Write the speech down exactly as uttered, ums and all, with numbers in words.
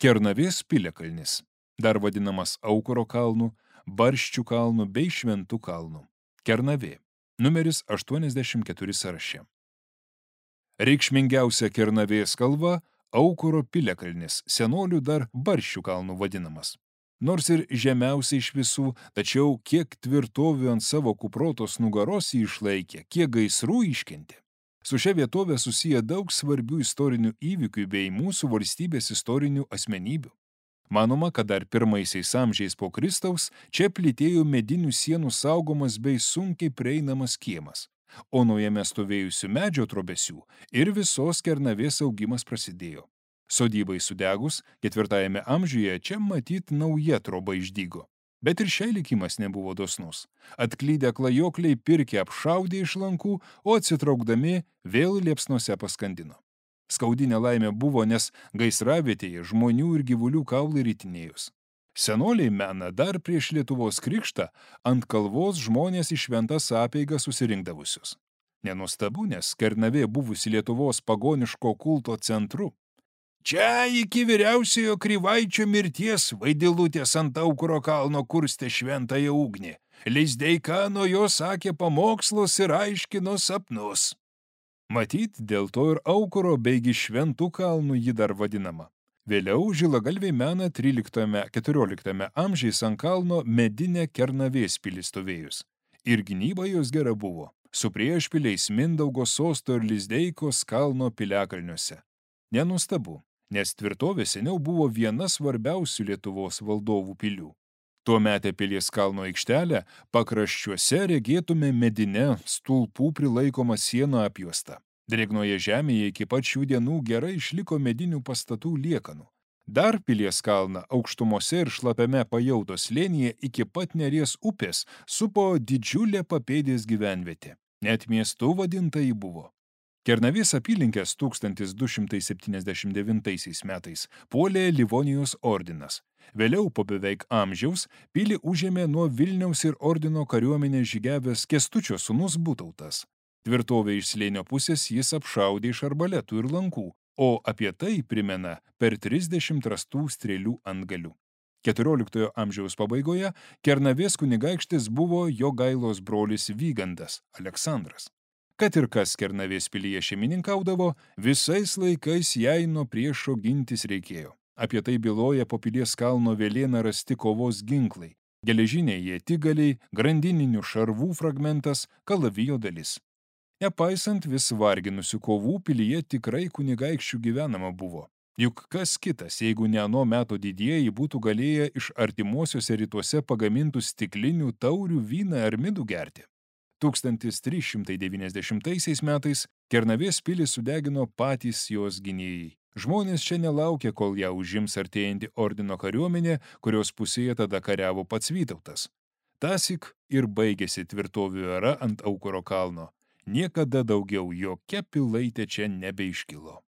Kernavės piliakalnis, dar vadinamas Aukuro kalnu, Barščių kalnu bei Šventų kalnu. Kernavė, numeris aštuoniasdešimt keturi sąraše. Reikšmingiausia Kernavės kalva – Aukuro piliakalnis, senolių dar Barščių kalnu vadinamas. Nors ir žemiausia iš visų, tačiau kiek tvirtovių ant savo kuprotos nugaros jį išlaikė, kiek gaisrų iškentė. Su šia vietovė susiję daug svarbių istorinių įvykių bei mūsų valstybės istorinių asmenybių. Manoma, kad dar pirmaisiais amžiais po Kristaus čia plytėjo medinių sienų saugomas bei sunkiai prieinamas kiemas, o nuo jame stovėjusių medžio trobesių ir visos Kernavės augimas prasidėjo. Sodybai sudegus, ketvirtajame amžiuje čia matyt nauja troba išdygo. Bet ir šiai likimas nebuvo dosnus. Atklydę klajokliai pirkė apšaudė iš lankų, o atsitraukdami vėl liepsnose paskandino. Skaudi nelaimė buvo, nes gaisravietėje žmonių ir gyvulių kaulai ritinėjus. Senoliai mena dar prieš Lietuvos krikštą ant kalvos žmonės į šventas apeigas susirinkdavusius. Nenuostabu, nes Kernavė buvusi Lietuvos pagoniško kulto centru. Čia iki vyriausiojo Kryvaičio mirties Vaidilutės ant Aukuro kalno kurstė šventąją ugnį. Lizdeika nuo jo sakė pamokslus ir aiškino sapnus. Matyt, dėl to ir Aukuro beigi Šventų kalnų ji dar vadinama. Vėliau žilagalviai mena tryliktame-keturioliktame amžiais ant kalno medinę Kernavės pilį stovėjus. Ir gynyba jos gera buvo, su priešpiliais Mindaugo sosto ir Lizdeikos kalno piliakalniuose. Nenustabu, nes tvirtovė seniau buvo viena svarbiausių Lietuvos valdovų pilių. Tuometę pilies kalno aikštelę pakraščiuose regėtume medinę stulpų prilaikomą sienų apjuostą. Drėgnoje žemėje iki pat šių dienų gerai išliko medinių pastatų liekanų. Dar pilies kalną aukštumose ir šlapiame Pajautos slėnyje iki pat Neries upės supo didžiulė papėdės gyvenvietė. Net miestu vadinta ji buvo. Kernavės apylinkės tūkstantis du šimtai septyniasdešimt devintaisiais metais puolė Livonijos ordinas. Vėliau po beveik amžiaus pilį užėmė nuo Vilniaus ir ordino kariuomenės žygiavęs Kęstučio sūnus Butautas. Tvirtovę iš slėnio pusės jis apšaudė iš arbaletų ir lankų, o apie tai primena per trisdešimt rastų strėlių antgalių. keturioliktojo amžiaus pabaigoje Kernavės kunigaikštis buvo Jogailos brolis Vygandas Aleksandras. Kad ir kas Kernavės pilyje šeimininkaudavo, visais laikais jai nuo priešo gintis reikėjo. Apie tai byloja po pilies kalno Velėna rasti kovos ginklai, geležiniai ietigaliai, grandininių šarvų fragmentas, kalavijo dalis. Nepaisant vis varginusių kovų, pilyje tikrai kunigaikščių gyvenama buvo. Juk kas kitas, jeigu ne ano meto didieji būtų galėję iš artimuosiuose rytuose pagamintų stiklinių taurių vyną ar midų gerti. tūkstantis trys šimtai devyniasdešimtaisiais metais Kernavės pilį sudegino patys jos gynėjai. Žmonės čia nelaukė, kol ją užims artėjanti ordino kariuomenė, kurios pusėje tada kariavo pats Vytautas. Tąsyk ir baigėsi tvirtovių era ant Aukuro kalno. Niekada daugiau jokia pilaitė čia nebeiškilo.